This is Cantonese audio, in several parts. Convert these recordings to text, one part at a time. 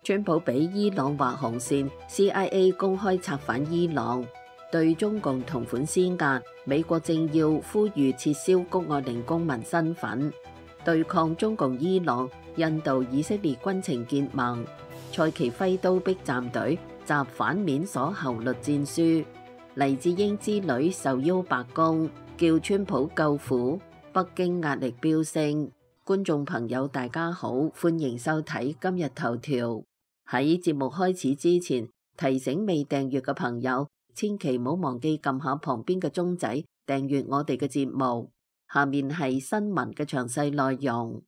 川普俾伊朗劃紅線 ，CIA 公開策反伊朗，對中共同款施壓。美國政要呼籲撤銷谷愛凌公民身份，對抗中共伊朗、印度、以色列軍情結盟。蔡奇輝刀逼站隊，集反面鎖侯律戰書。黎智英之女受邀白宮，叫川普救苦。北京壓力飆升。觀眾朋友大家好，歡迎收睇今日頭條。喺節目開始之前，提醒未訂閱嘅朋友，千祈唔好忘記撳下旁邊嘅鐘仔，訂閱我哋嘅節目。下面係新聞嘅詳細內容。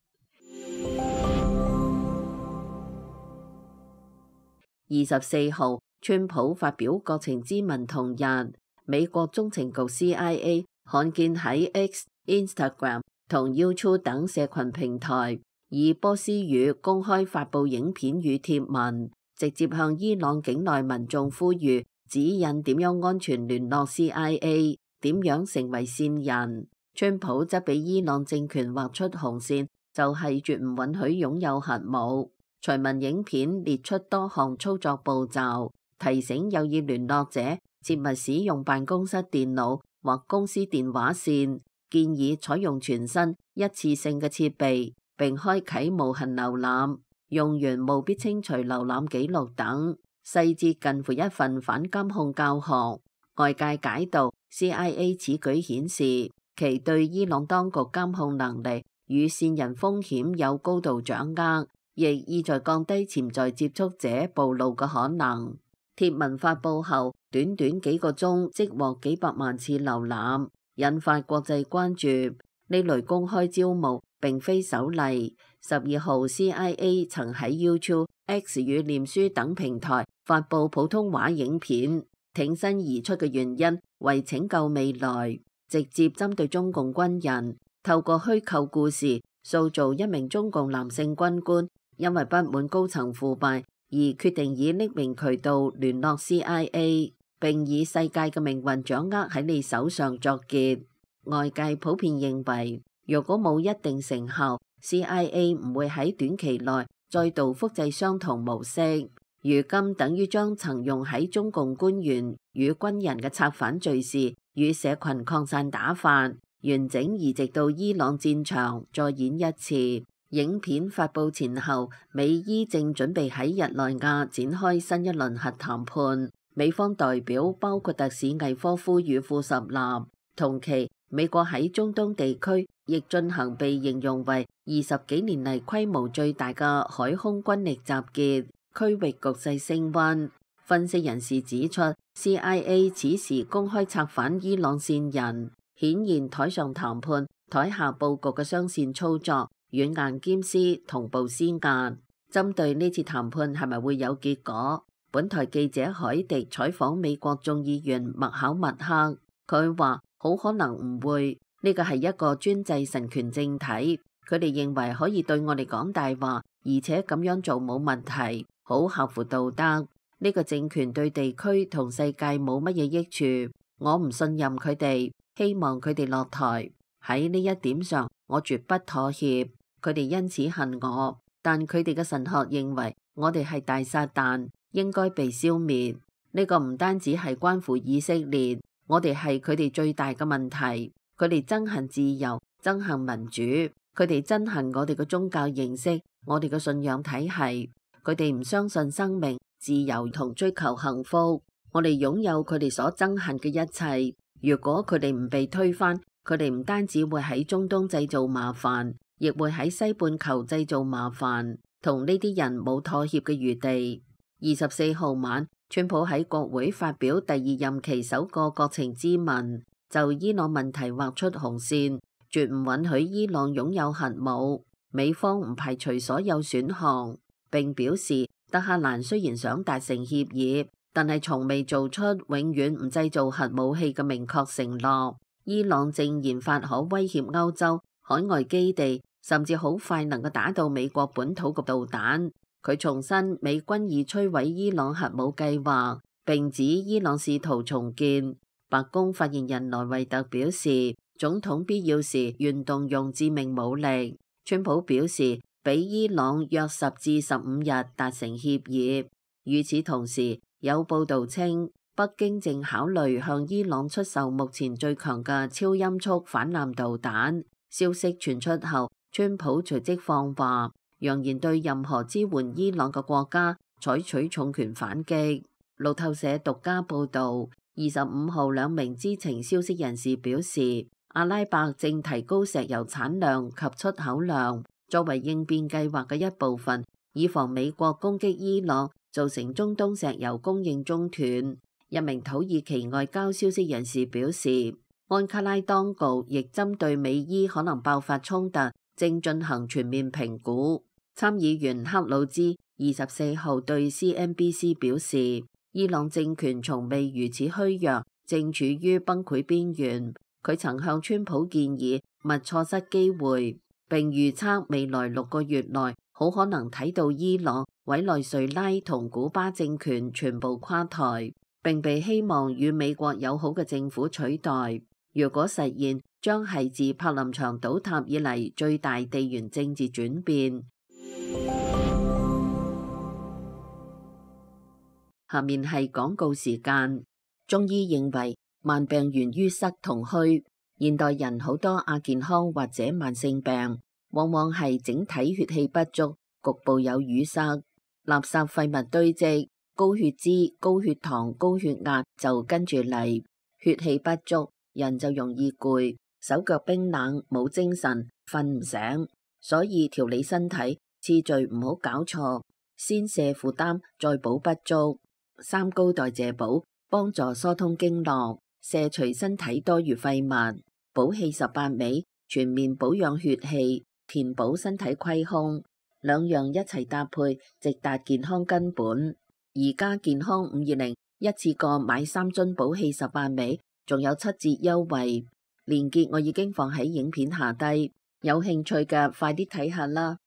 24號，川普發表國情咨文同日，美國中情局 CIA 罕見喺 X、Instagram 同 YouTube 等社群平台以波斯語公開發布影片與貼文，直接向伊朗境內民眾呼籲指引點樣安全聯絡 CIA， 點樣成為線人。川普則俾伊朗政權劃出紅線，就係絕唔允許擁有核武。隨文影片列出多項操作步驟，提醒有意聯絡者切勿使用辦公室電腦或公司電話線，建議採用全新一次性嘅設備，並開啟無痕瀏覽，用完務必清除瀏覽記錄等，細節近乎一份反監控教學。外界解讀 CIA 此舉顯示其對伊朗當局監控能力與線人風險有高度掌握，亦意在降低潛在接觸者暴露嘅可能。貼文發布後，短短幾個鐘即獲幾百萬次瀏覽，引發國際關注。呢類公開招募並非首例。12號 CIA 曾喺 YouTube、X 與臉書等平台發布普通話影片，挺身而出嘅原因為拯救未來，直接針對中共軍人，透過虛構故事塑造一名中共男性軍官因為不滿高層腐敗而決定以匿名渠道聯絡 CIA， 並以世界嘅命運掌握喺你手上作結。外界普遍認為，若果冇一定成效， CIA 唔會喺短期內再度複製相同模式。如今等於將曾用喺中共官員與軍人嘅策反敘事與社群擴散打法，完整移植到伊朗戰場再演一次。影片發布前後，美伊正準備喺日內瓦展開新一輪核談判。美方代表包括特使魏科夫與庫什納。同期，美國喺中東地區亦進行被形容為20幾年嚟規模最大嘅海空軍力集結，區域局勢升溫。分析人士指出， CIA 此時公開策反伊朗線人，顯現台上談判、台下佈局嘅雙線操作，軟硬兼施，同步施壓。針對呢次談判係咪會有結果，本台記者海迪採訪美國眾議員麥考默克，佢話好可能唔會，呢個係一個專制神權政體，佢哋認為可以對我哋講大話，而且咁樣做冇問題，好合乎道德。呢個政權對地區同世界冇乜嘢益處，我唔信任佢哋，希望佢哋落台。喺呢一點上，我絕不妥協。佢哋因此恨我，但佢哋嘅神學認為我哋係大撒旦，應該被消滅。呢個唔單止係關乎以色列，我哋係佢哋最大嘅問題。佢哋憎恨自由，憎恨民主，佢哋憎恨我哋嘅宗教形式，我哋嘅信仰體系。佢哋唔相信生命、自由同追求幸福。我哋擁有佢哋所憎恨嘅一切。如果佢哋唔被推翻，佢哋唔單止會喺中東製造麻煩，亦會喺西半球製造麻煩，同呢啲人冇妥協嘅餘地。24號晚，川普喺國會發表第二任期首個國情咨文，就伊朗問題劃出紅線，絕唔允許伊朗擁有核武。美方唔排除所有選項，並表示德黑蘭雖然想達成協議，但係從未做出永遠唔製造核武器嘅明確承諾。伊朗正研發可威脅歐洲海外基地，甚至好快能夠打到美國本土嘅導彈。佢重申美軍已摧毀伊朗核武計劃，並指伊朗試圖重建。白宮發言人萊維特表示，總統必要時願動用致命武力。川普表示，比伊朗約10至15日達成協議。與此同時，有報道稱，北京正考慮向伊朗出售目前最強嘅超音速反艦導彈。消息傳出後，川普隨即放話，揚言對任何支援伊朗嘅國家採取重拳反擊。路透社獨家報導，25號兩名知情消息人士表示，阿拉伯正提高石油產量及出口量，作為應變計劃嘅一部分，以防美國攻擊伊朗，造成中東石油供應中斷。一名土耳其外交消息人士表示，安卡拉當局亦針對美伊可能爆發衝突，正進行全面評估。參議員克魯茲24號對 CNBC 表示，伊朗政權從未如此虛弱，正處於崩潰邊緣。佢曾向川普建議勿錯失機會，並預測未來6個月內好可能睇到伊朗、委內瑞拉同古巴政權全部垮台，並被希望與美國友好嘅政府取代。如果實現，將係自柏林牆倒塌以嚟最大地緣政治轉變。下面係廣告時間。中醫認為慢病源於塞同虛，現代人好多亞健康或者慢性病，往往係整體血氣不足，局部有淤塞，垃圾廢物堆積，高血脂、高血糖、高血壓就跟住嚟。血氣不足，人就容易攰，手腳冰冷，冇精神，瞓唔醒。所以調理身體次序唔好搞錯，先瀉負擔，再補不足。三高代謝補幫助疏通經絡，瀉除身體多餘廢物。補氣18味全面保養血氣，填補身體虧空，兩樣一齊搭配，直達健康根本。而家健康520一次過買3樽補氣18味，仲有7折優惠，鏈接我已經放喺影片下低，有興趣嘅快啲睇下啦。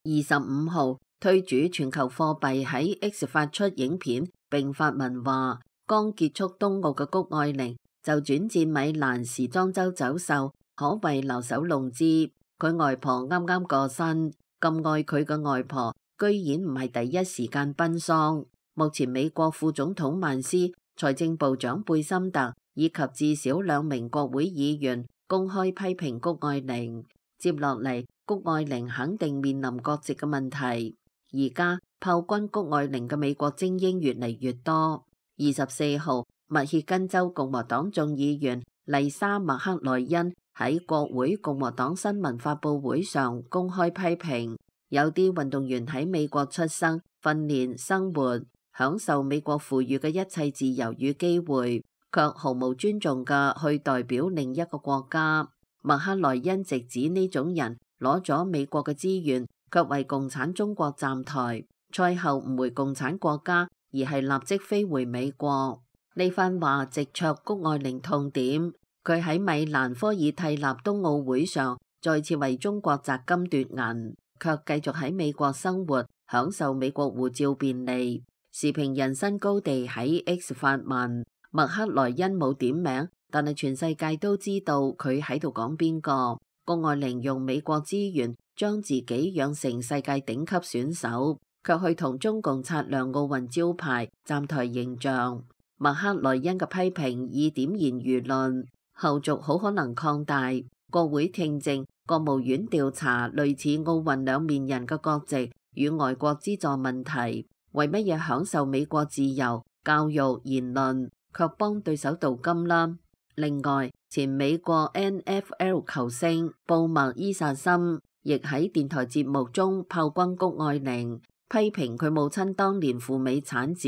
25號推主全球貨幣喺 X 發出影片並發文話，剛結束冬奧嘅谷愛凌就轉戰米蘭時裝周走秀，可謂留守龍姿。佢外婆啱啱過身，咁愛佢嘅外婆居然唔係第一時間奔喪。目前美國副總統曼斯、財政部長貝森特以及至少2名國會議員公開批評谷愛凌。接落嚟，谷愛凌肯定面臨國籍嘅問題。而家炮轟谷愛凌嘅美國精英越嚟越多。24號，密歇根州共和黨眾議員麗莎麥克萊恩喺國會共和黨新聞發佈會上公開批評，有啲運動員喺美國出生、訓練、生活，享受美國賦予嘅一切自由與機會，卻毫無尊重嘅去代表另一個國家。麥克萊恩直指呢種人攞咗美國嘅資源，卻為共產中國站台，賽後唔回共產國家，而係立即飛回美國。呢番話直戳谷愛凌痛點，佢喺米蘭科爾蒂納冬奧會上再次為中國摘金奪銀，卻繼續喺美國生活，享受美國護照便利。時評人新高地喺 X 發文，麥克萊恩冇點名，但係全世界都知道佢喺度講邊個。谷愛凌用美國資源將自己養成世界頂級選手，卻去同中共擦亮奧運招牌，站台形象。麥克萊恩嘅批評以點燃輿論，後續好可能擴大。國會聽證、國務院調查類似奧運兩面人嘅國籍與外國資助問題，為乜嘢享受美國自由、教育、言論，卻幫對手鍍金啦？另外，前美國 NFL 球星布麥伊薩森亦喺電台節目中炮轟谷愛凌，批評佢母親當年赴美產子，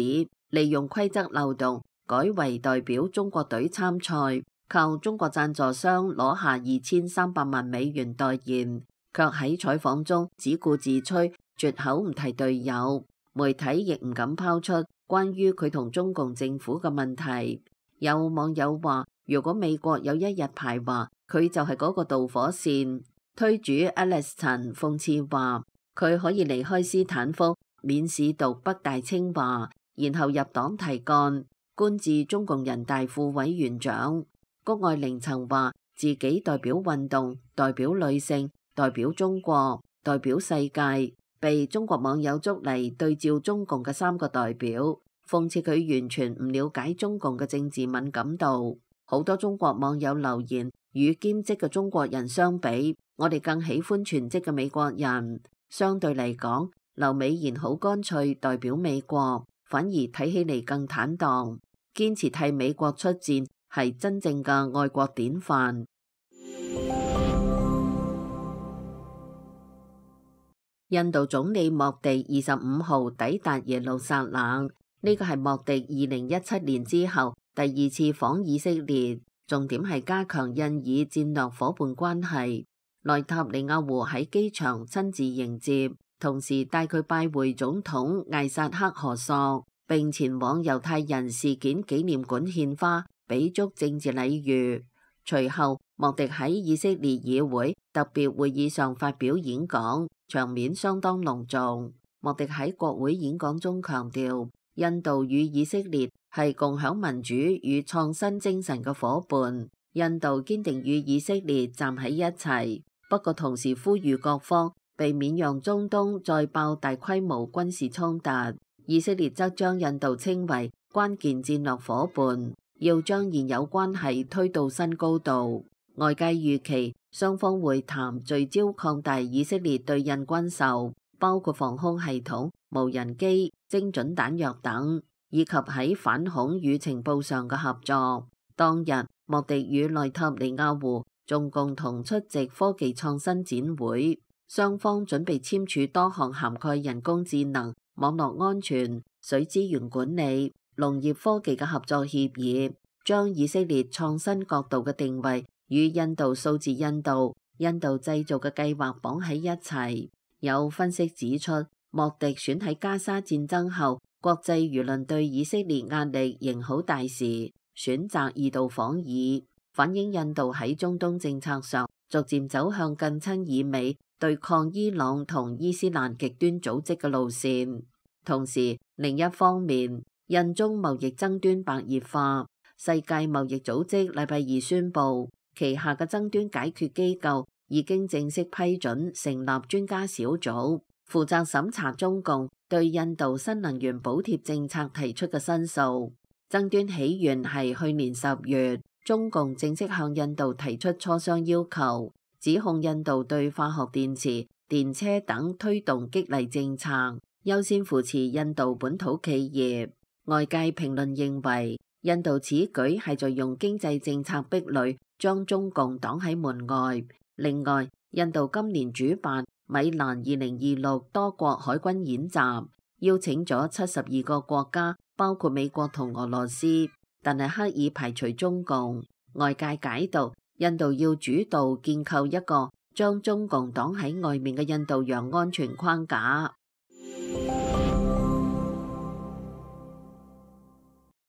利用規則漏洞改為代表中國隊參賽，靠中國贊助商攞下2300萬美元代言，卻喺採訪中只顧自吹，絕口唔提隊友。媒體亦唔敢拋出關於佢同中共政府嘅問題。有網友話，如果美國有一日排華，佢就係嗰個導火線。推主 Alex 陳諷刺話，佢可以離開斯坦福，免試讀北大清華，然後入黨提幹，官至中共人大副委員長。谷愛凌曾話自己代表運動、代表女性、代表中國、代表世界，被中國網友捉嚟對照中共嘅3個代表，諷刺佢完全唔了解中共嘅政治敏感度。好多中國網友留言，與兼職嘅中國人相比，我哋更喜歡全職嘅美國人。相對嚟講，劉美賢好乾脆代表美國，反而睇起嚟更坦蕩，堅持替美國出戰，係真正嘅愛國典範。印度總理莫迪25號抵達耶路撒冷，呢個係莫迪2017年之後第2次訪以色列，重點係加強印以戰略夥伴關係。內塔尼亞胡喺機場親自迎接，同時帶佢拜會總統艾薩克何索，並前往猶太人事件紀念館獻花，俾足政治禮遇。隨後，莫迪喺以色列議會特別會議上發表演講，場面相當隆重。莫迪喺國會演講中強調，印度與以色列係共享民主與創新精神嘅夥伴，印度堅定與以色列站喺一齊。不過同時呼籲各方避免讓中東再爆大規模軍事衝突。以色列則將印度稱為關鍵戰略夥伴，要將現有關係推到新高度。外界預期雙方會談聚焦擴大以色列對印軍售，包括防空系統、無人機、精準彈藥等，以及喺反恐與情報上嘅合作。當日，莫迪與內塔尼亞胡仲共同出席科技創新展會，雙方準備簽署多項涵蓋人工智能、網絡安全、水資源管理、農業科技嘅合作協議，將以色列創新角度嘅定位與印度數字印度製造嘅計劃綁喺一齊。有分析指出，莫迪選喺加沙戰爭後，國際輿論對以色列壓力仍好大時，選擇2度訪以，反映印度喺中東政策上逐漸走向更親以美、對抗伊朗同伊斯蘭極端組織嘅路線。同時，另一方面，印中貿易爭端白熱化，世界貿易組織禮拜2宣布，旗下嘅爭端解決機構已經正式批准成立專家小組，負責審查中共對印度新能源補貼政策提出嘅申訴。爭端起源係去年10月，中共正式向印度提出磋商要求，指控印度對化學電池、電車等推動激勵政策，優先扶持印度本土企業。外界評論認為，印度此舉係在用經濟政策壁壘將中共擋喺門外。另外，印度今年主辦米蘭2026多國海軍演習，邀請咗72個國家，包括美國同俄羅斯，但係刻意排除中共。外界解讀，印度要主導建構一個將中共擋喺外面嘅印度洋安全框架。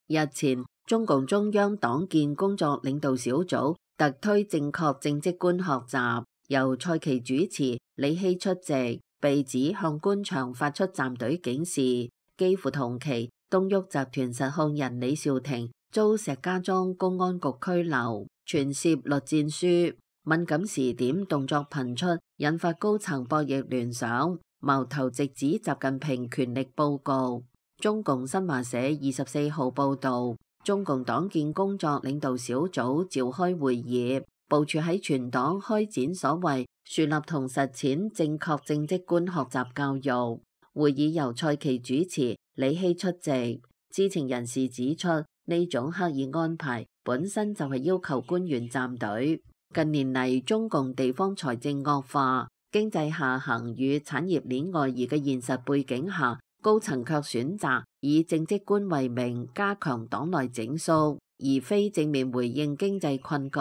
日前，中共中央黨建工作領導小組特推正確政績觀學習，由蔡奇主持，李希出席，被指向官場發出站隊警示。幾乎同期，東沃集團實控人李兆廷遭石家莊公安局拘留，傳涉栗戰書。敏感時點動作頻出，引發高層博弈聯想，矛頭直指習近平權力佈局。中共新華社24號報導，中共黨建工作領導小組召開會議，部署喺全黨開展所謂樹立同實踐正確政績觀學習教育。會議由蔡奇主持，李希出席。知情人士指出，呢種刻意安排本身就係要求官員站隊。近年嚟，中共地方財政惡化、經濟下行與產業鏈外移嘅現實背景下，高層卻選擇以政績觀為名加強黨內整肅，而非正面回應經濟困局。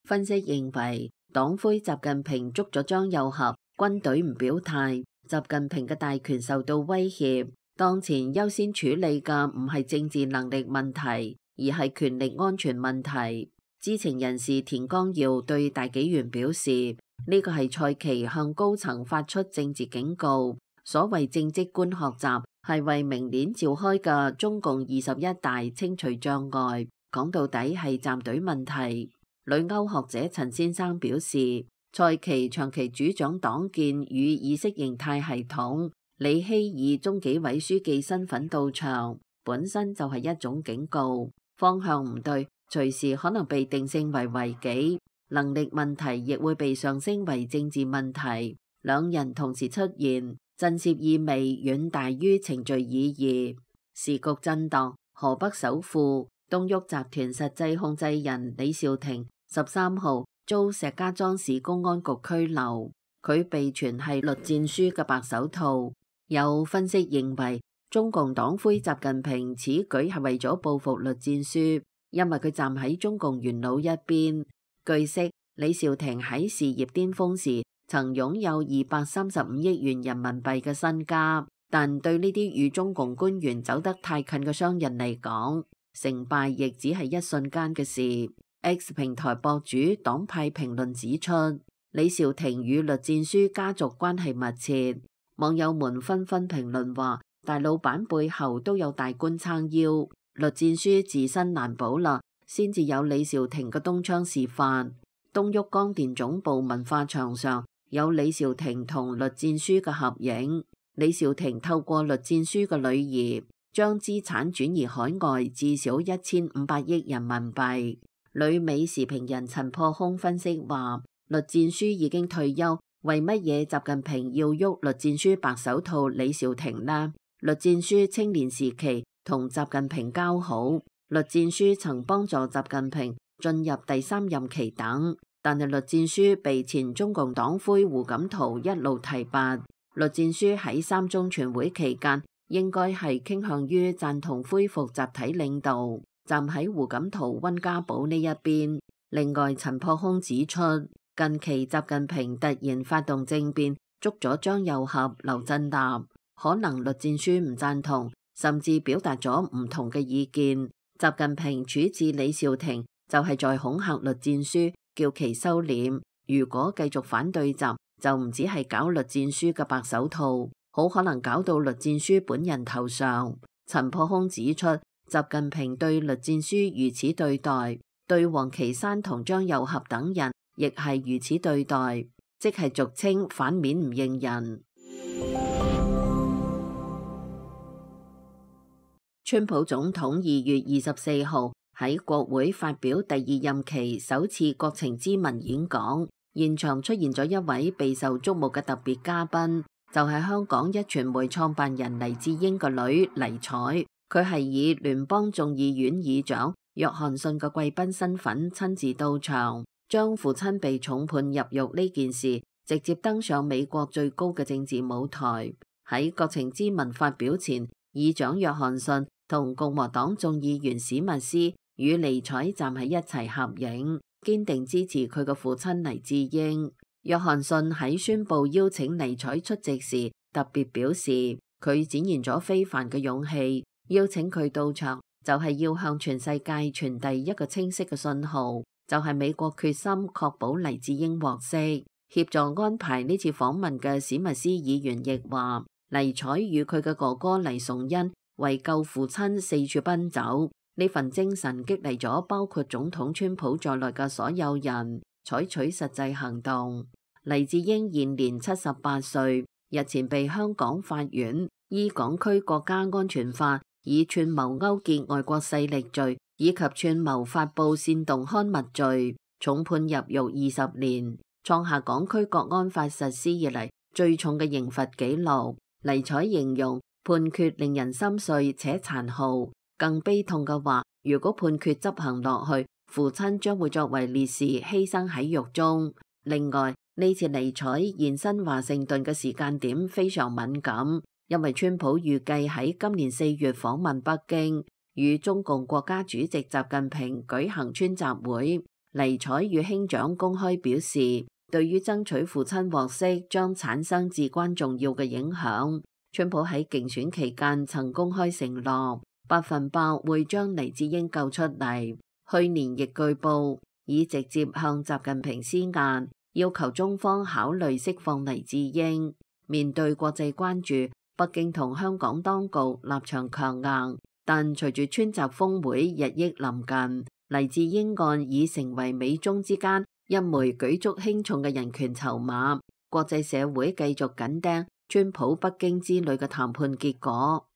分析認為，黨魁習近平捉咗張又俠，軍隊唔表態，習近平嘅大權受到威脅。當前優先處理嘅唔係政治能力問題，而係權力安全問題。知情人士田光耀對大紀元表示，呢個係蔡奇向高層發出政治警告。所謂政績觀學習係為明年召開嘅中共21大清除障礙，講到底係站隊問題。旅歐學者陳先生表示，蔡奇長期主張黨建與意識形態系統，李希以中紀委書記身份到場，本身就係一種警告，方向唔對，隨時可能被定性為違紀，能力問題亦會被上升為政治問題。兩人同時出現，震懾意味遠大於程序意義。時局震盪，河北首富東沃集團實際控制人李兆廷13號遭石家莊市公安局拘留，佢被傳係栗戰書嘅白手套。有分析認為，中共黨魁習近平此舉係為咗報復栗戰書，因為佢站喺中共元老一邊。據悉，李兆廷喺事業巔峰時曾擁有235億元人民幣嘅身家，但對呢啲與中共官員走得太近嘅商人嚟講，成敗亦只係一瞬間嘅事。X 平台博主黨派評論指出，李兆廷與栗戰書家族關係密切，網友們紛紛評論話，大老闆背後都有大官撐腰，栗戰書自身難保啦，先至有李兆廷嘅東窗事發。東沃光電總部文化牆上有李兆廷同栗戰書嘅合影。李兆廷透過栗戰書嘅女兒將資產轉移海外至少1500億人民幣。旅美時評人陳破空分析話，栗戰書已經退休，為乜嘢習近平要喐栗戰書白手套李兆廷呢？栗戰書青年時期同習近平交好，栗戰書曾幫助習近平進入第3任期等，但係栗戰書被前中共黨魁胡錦濤一路提拔。栗戰書喺3中全會期間應該係傾向於贊同恢復集體領導，站喺胡錦濤溫家寶呢一邊。另外，陳破空指出，近期習近平突然發動政變，捉咗張又俠、劉振立，可能栗戰書唔贊同，甚至表達咗唔同嘅意見。習近平處置李兆廷就係在恐嚇栗戰書，叫其收斂。如果繼續反對習，就唔止係搞栗戰書嘅白手套，好可能搞到栗戰書本人頭上。陳破空指出，習近平對栗戰書如此對待，對王岐山同張又俠等人亦係如此對待，即係俗稱反面唔認人。川普總統2月24號喺國會發表第2任期首次國情咨文演講，現場出現咗一位備受矚目嘅特別嘉賓，就係香港壹傳媒創辦人黎智英個女黎采。佢係以聯邦眾議院議長約翰遜嘅貴賓身份親自到場，將父親被重判入獄呢件事直接登上美國最高嘅政治舞台。喺國情咨文發表前，議長約翰遜同共和黨眾議員史密斯與黎采站喺一齊合影，堅定支持佢嘅父親黎智英。約翰遜喺宣布邀請黎采出席時，特別表示佢展現咗非凡嘅勇氣，邀請佢到場就係要向全世界傳遞一個清晰嘅信號，就係美國決心確保黎智英獲釋。協助安排呢次訪問嘅史密斯議員亦話，黎采與佢嘅哥哥黎崇恩為救父親四處奔走，呢份精神激勵咗包括總統川普在內嘅所有人採取實際行動。黎智英現年78歲，日前被香港法院依港區國家安全法以串謀勾結外國勢力罪以及串謀發布煽動刊物罪重判入獄20年，創下港區國安法實施以嚟最重嘅刑罰紀錄。黎采形容判決令人心碎且殘酷，更悲痛嘅話，如果判決執行落去，父親將會作為烈士犧牲喺獄中。另外，呢次黎采現身華盛頓嘅時間點非常敏感，因為川普預計喺今年4月訪問北京，與中共國家主席習近平舉行川習會。黎采與兄長公開表示，對於爭取父親獲釋將產生至關重要嘅影響。川普喺競選期間曾公開承諾100%會將黎智英救出嚟。去年亦據報已直接向習近平施壓，要求中方考慮釋放黎智英。面對國際關注，北京同香港當局立場強硬，但隨住川習峰會日益臨近，黎智英案已成為美中之間一枚舉足輕重嘅人權籌碼，國際社會繼續緊盯川普北京之旅嘅談判結果。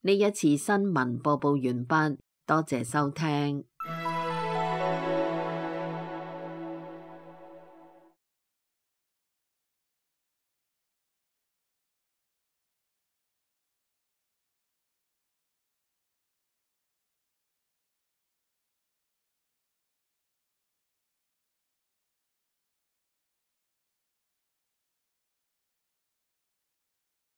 呢一次新聞播報完畢，多謝收聽。